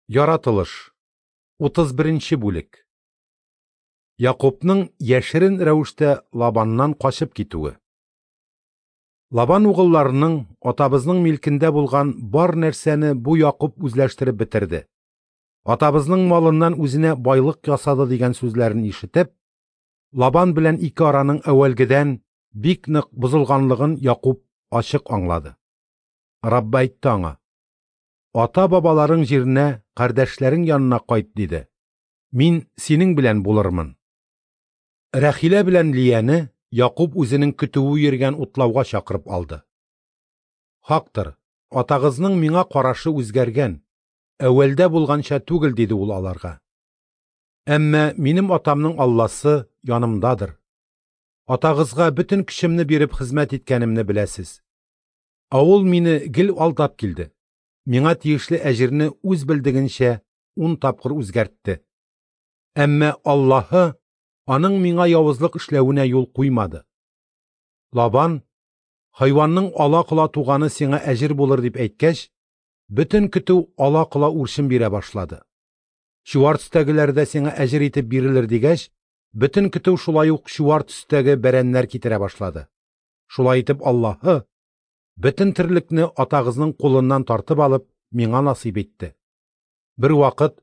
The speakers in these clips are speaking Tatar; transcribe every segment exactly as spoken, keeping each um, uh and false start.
Яратылыш. утыз беренче бүлек. Якубның яшерен рәвештә Лабаннан качып китүе. Лабан угылларының атабызның милкендә булган бар нәрсәне бу Якуб үзләштереп бетерде. Атабызның малыннан үзенә байлык ясады дигән сүзләрен ишетеп, Лабан белән ике араның әүвәлгедән бик нык бозылганлыгын Якуб ачык аңлады. Раббы әйтте аңа: "Ата-бабаларың җиренә, кардәшләрең янына кайт", диде. "Мин синең белән булырмын". Рәхилә белән Лияне Якуб үзенең көтүе йөргән утлауга чакырып алды. "Хактыр, атагызның миңа карашы үзгәргән, әүвәлдә булганча түгел", диде ул аларга. "Әмма минем атамның Алласы янымдадыр. Атагызга бөтен көчемне биреп хезмәт иткәнемне беләсез. Ә ул мине гел алдап килде. Миңа тиешле әҗерне үз белдегенчә ун тапкыр үзгәртте. Әмма Аллаһы аның миңа явызлык эшләвенә юл куймады. Лабан, хайванның ала-кола туганы сиңа әҗер булыр дип әйткәч, бөтен көтү ала-кола үрчем бирә башлады. Чуар төстәгеләр дә сиңа әҗер итеп бирелер дигәч, бөтен көтү шулай ук чуар төстәге бәрәннәр китерә башлады. Шулай итеп Аллаһы бөтен терлекне атагызның кулыннан тартып алып миңа насыйп итте. Бер вакыт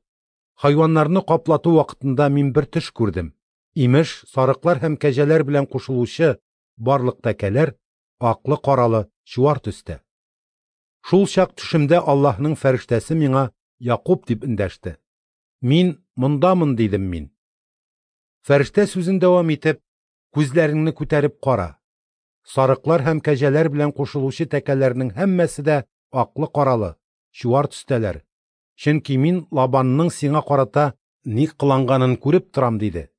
хайваннарны каплату вакытында мин бер төш күрдем. Имеш, сарыклар һәм кәҗәләр белән кушылучы барлык тәкәләр аклы-каралы чуар төстә. Шул чак төшемдә Аллаһның фәрештәсе миңа Якуб дип эндәште. Мин мондамын, дидем мин. Фәрештә сүзен дәвам итеп: "Күзләреңне күтәреп кара. Сарыклар һәм кәҗәләр белән кушылучы тәкәләрнең һәммәсе дә аклы-каралы, чуар төстәләр. Чөнки мин Лабанның сиңа карата ни кыланганын күреп торам", диде.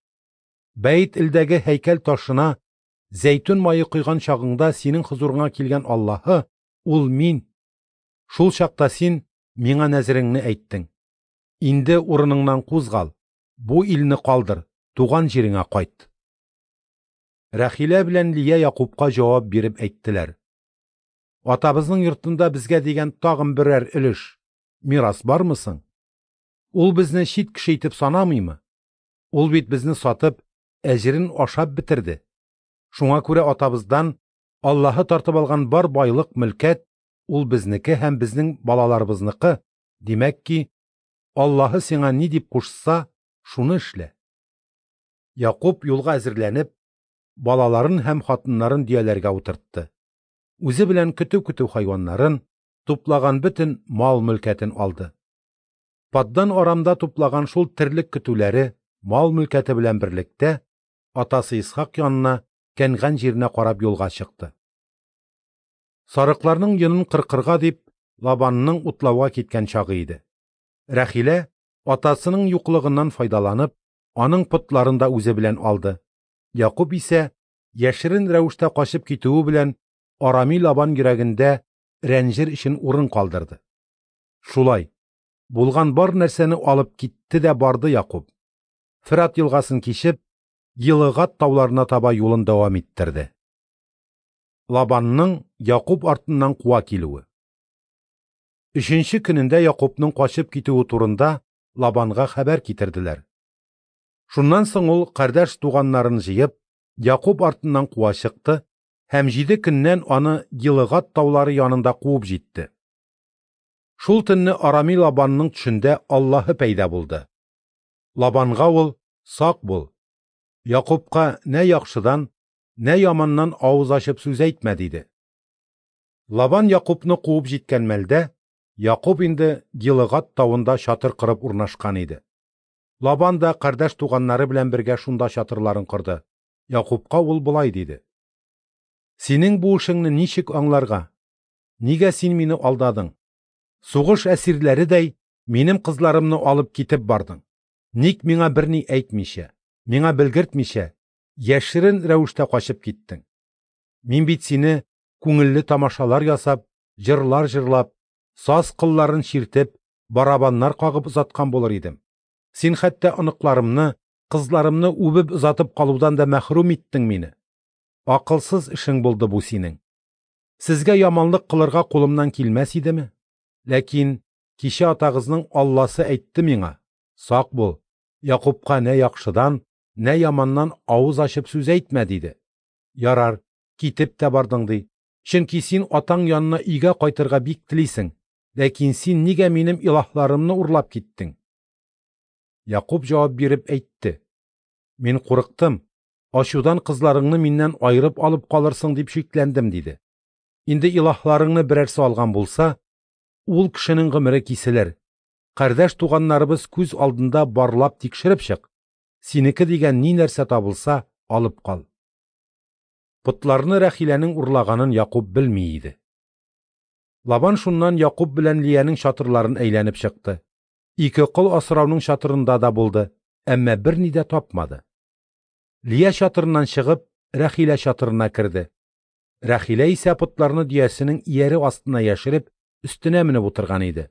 "Бәйт илдәге һәйкәл ташына зәйтүн мае койган чагыңда синең хозурыңа килгән Аллаһы ул мин. Шул чакта син миңа нәзереңне әйттең. Инде урыныңнан кузгал, бу илне калдыр, туган җиреңә кайт". Рәхилә белән Лия Якубка җавап биреп әйттеләр: "Атабызның йортында безгә дигән тагын берәр өлеш, мирас бармы соң? Ул безне чит кеше итеп санамыймы? Ул бит безне сатып, әҗерен ашап бетерде. Шуңа күрә атабыздан Аллаһы тартып алган бар байлык, мөлкәт ул безнеке һәм безнең балаларыбызныкы. Димәк ки, Аллаһы сиңа ни дип кушса, шуны эшлә". Якуб юлга әзерләнеп, балаларын һәм хатыннарын дөяләргә утыртты. Үзе белән көтү-көтү хайваннарын, туплаган бөтен мал-мөлкәтен алды. Паддан Арамда туплаган шул терлек көтүләре, мал-мөлкәте белән берлектә атасы Исхак янына, Кәнган җиренә карап юлга чыкты. Сарыкларның йонын кыркырга дип, Лабанның утлауга киткән чагы иде. Рәхилә, атасының юклыгыннан файдаланып, аның потларын да үзе белән алды. Якуб исә яшерен рәвештә качып китүе белән Арами Лабан йөрәгендә рәнҗер өчен урын калдырды. Шулай булган бар нәрсәне алып китте дә барды Якуб. Фырат елгасын кичеп, Йылыгат тауларына таба юлын дәвам иттерде. Лабанның Якуб артыннан куа килүе. Өченче көнендә Якубның качып китүе турында Лабанга хәбәр китерделәр. Шуннан соң ул кардәш туганнарын җыеп, Якуб артыннан куа чыкты һәм җиде көннән аны Йылыгат таулары янында куып җитте. Шул төнне Арами Лабанның төшендә Аллаһы пәйда булды. Лабанга ул: "Сак бул, Якубка нә яхшыдан, нә яманнан авыз ачып сүз әйтмә", диде. Лабан Якубны куып җиткән мәлдә, Якуб инде Йылыгат тавында чатыр корып урнашкан иде. Лабан да кардәш туганнары белән бергә шунда чатырларын корды. Якубка ул болай диде: "Синең бу эшеңне ничек аңларга? Нигә син мине алдадың? Сугыш әсирләредәй минем кызларымны алып китеп бардың. Ник миңа берни әйтмичә, миңа белгертмичә, яшерен рәвештә качып киттең? Мин бит сине күңелле тамашалар ясап, җырлар җырлап, саз кылларын чиртеп, барабаннар кагып озаткан булыр идем. Син хәтта оныкларымны, кызларымны үбеп озатып калудан да мәхрүм иттең мине. Акылсыз эшең булды бу синең. Сезгә яманлык кылырга кулымнан килмәс идеме? Ләкин Кичә атагызның Алласы әйтте миңа: "Сак бул, Якупка нә яхшыдан, нә яманнан авыз ачып сүз әйтмә", диде. Ярар, китеп тә бардың ди. Чөнки син атаң янына өйгә кайтырга бик телисең. Ләкин син нигә минем илаһларымны урлап киттең? Якуп җавап биреп әйтте: "Мин курыктым, ачудан кызларыңны миннән аерып алып калырсың дип шикләндем", диде. Инде илаһларыңны берәрсе алган булса, ул кешенең гомере киселер. Кардәш туганнарыбыз күз алдында барлап тикшереп чык. Синеке дигән ни нәрсә табылса, алып кал. Потларны Рәхиләнең урлаганын Якуп белми иде. Лабан шуннан Якуп белән Лиянең чатырларын әйләнеп чыкты. Ике кол асрауның чатырында да булды, әмма берни дә тапмады. Лия чатырыннан чыгып, Рәхилә чатырына керде. Рәхилә исә потларны дөясенең ияре астына яшереп, өстенә менеп утырган иде.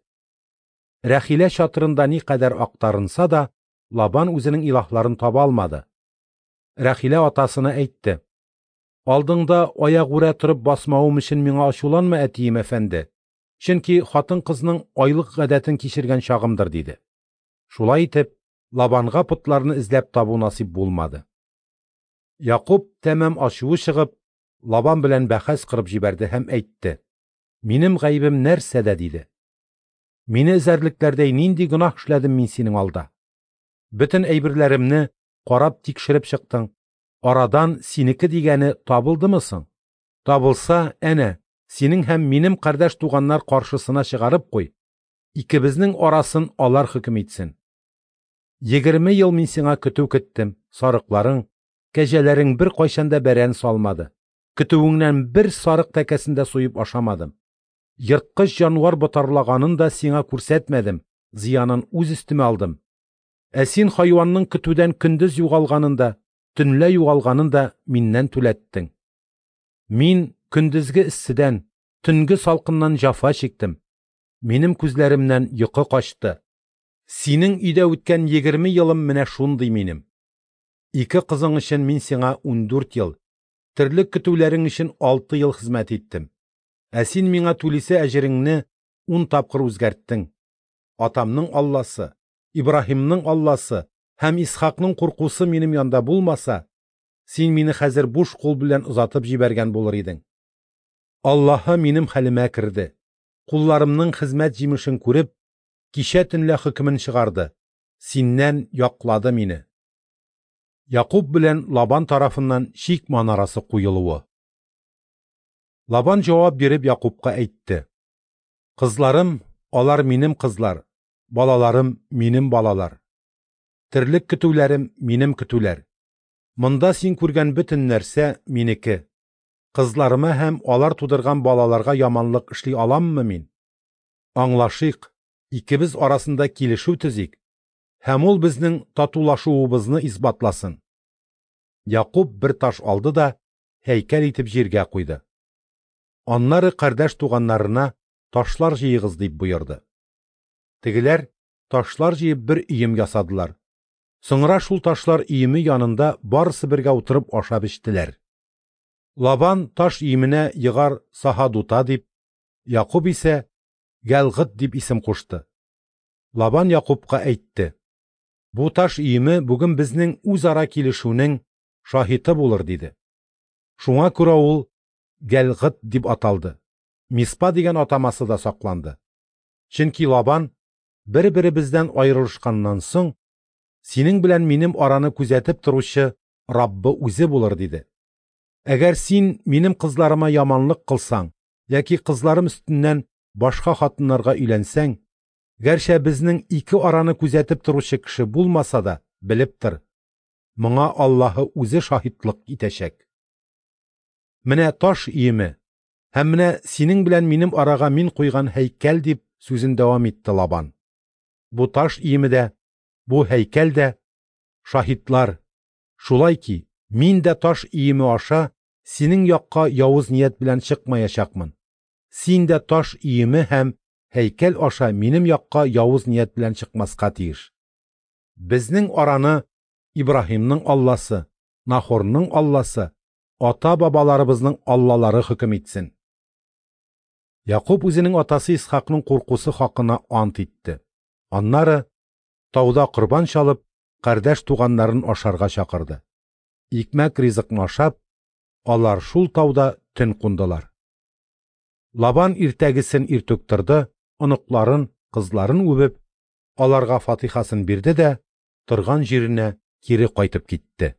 Рәхилә чатырында никадәр актарынса да, Лабан үзенең илаһларын таба алмады. Рәхилә атасына әйтте: "Алдыңда аягүрә торып басмавым өчен миңа ачуланма, әтием әфәнде. Чөнки хатын-кызның айлык гадәтен кичергән чагымдыр", диде. Шулай итеп, Лабанга потларны эзләп табу насыйп булмады. Якуп тәмам ачуы чыгып, Лабан белән бәхәс кырып җибәрде һәм әйтте: "Минем гаебем нәрсәдә?" диде. "Мине эзәрлекләрдәй нинди гөнаһ эшләдем мин синең алда? Бөтен әйберләремне карап тикшереп чыктың. Арадан синеке дигәне табылдымы соң? Табылса, әнә, синең һәм минем кардәш туганнар каршысына чыгарып куй. Икебезнең арасын алар хөкем итсен. Егерме ел мин сиңа көтү көттем, сарыкларың, кәҗәләрең бер кайчан да бәрән салмады. Көтүеңнән бер сарык тәкәсен дә суеп ашамадым. Ерткыч җанвар ботарлаганын да сиңа күрсәтмәдем, зыянын үз өстемә алдым. Ә син хайванның көтүдән көндез югалганын да, төнлә югалганын да миннән түләттең. Мин көндезге эсседән, төнге салкыннан җафа чиктем. Минем күзләремнән йокы качты. Синең өйдә үткән егерме елым менә шундый минем. Ике кызың өчен мин сиңа ундүрт ел, терлек көтүләрең өчен алты ел хезмәт иттем. Ә син миңа түлисе әҗереңне ун тапкыр үзгәрттең. Атамның Алласы, Ибраһимның Алласы һәм Исхакның куркусы минем янда булмаса, син мине хәзер буш кул белән озатып җибәргән булыр идең. Аллаһы минем хәлемә керде. Кулларымның хезмәт җимешен күреп, кичә төнлә хөкемен чыгарды. Синнән яклады мине." Якуп белән Лабан тарафыннан чик манарасы куелуы. Лабан җавап биреп Якупка әйтте: "Кызларым, алар минем кызлар, балаларым минем балалар. Терлек көтүләрем минем көтүләр. Монда син күргән бөтен нәрсә минеке. Кызларыма һәм алар тудырган балаларга яманлык эшли аламмы мин? Аңлашыйк, икебез арасында килешү төзик, һәм ул безнең татулашуыбызны исбатласын." Якуп бер таш алды да һәйкәл итеп җиргә куйды. Аннары кардәш туганнарына ташлар җыегыз дип боерды. Тегеләр ташлар җыеп бер өем ясадылар. Соңра шул ташлар өеме янында барысы бергә утырып ашап эчтеләр. Лабан таш өеменә Егар Сахадута дип, Якуп исә Галгыт дип исем кушты. Лабан Якупка әйтте: "Бу таш өеме бүген безнең үзара килешүнең шаһиты булыр", диде. Шуңа күрә ул Галгыт дип аталды. Миспа дигән атамасы да сакланды. Чөнки Лабан бер-беребездән аерылышканнан соң, синең белән минем араны күзәтеп торучы Раббы үзе булыр, диде. Әгәр син минем кызларыма яманлык кылсаң, яки кызларым өстеннән башка хатыннарга өйләнсәң, гәрчә безнең ике араны күзәтеп торучы кеше булмаса да, белеп тор, моңа Аллаһы үзе шаһитлык итәчәк. Менә таш өеме һәм менә синең белән минем арага мин куйган һәйкәл, дип сүзен дәвам итте Лабан. Бу таш өеме дә, бу һәйкәл дә шаһитлар. Шулай ки, мин дә таш өеме аша синең якка явыз ният белән чыкмаячакмын. Син дә таш өеме һәм һәйкәл аша минем якка явыз ният белән чыкмаска тиеш. Безнең араны Ибраһимның Алласы, Нахорның Алласы, ата-бабаларыбызның Аллалары хөкем итсен. Якуб үзенең атасы Исхакның куркусы хакына ант итте. Аннары, тауда корбан чалып, кардәш туганнарын ашарга чакырды. Икмәк ризыкны ашап, алар шул тауда төн кундылар. Лабан иртәгесен иртүк торды, оныкларын, кызларын үбеп, аларга фатихасын бирде дә торган җиренә кире кайтып китте.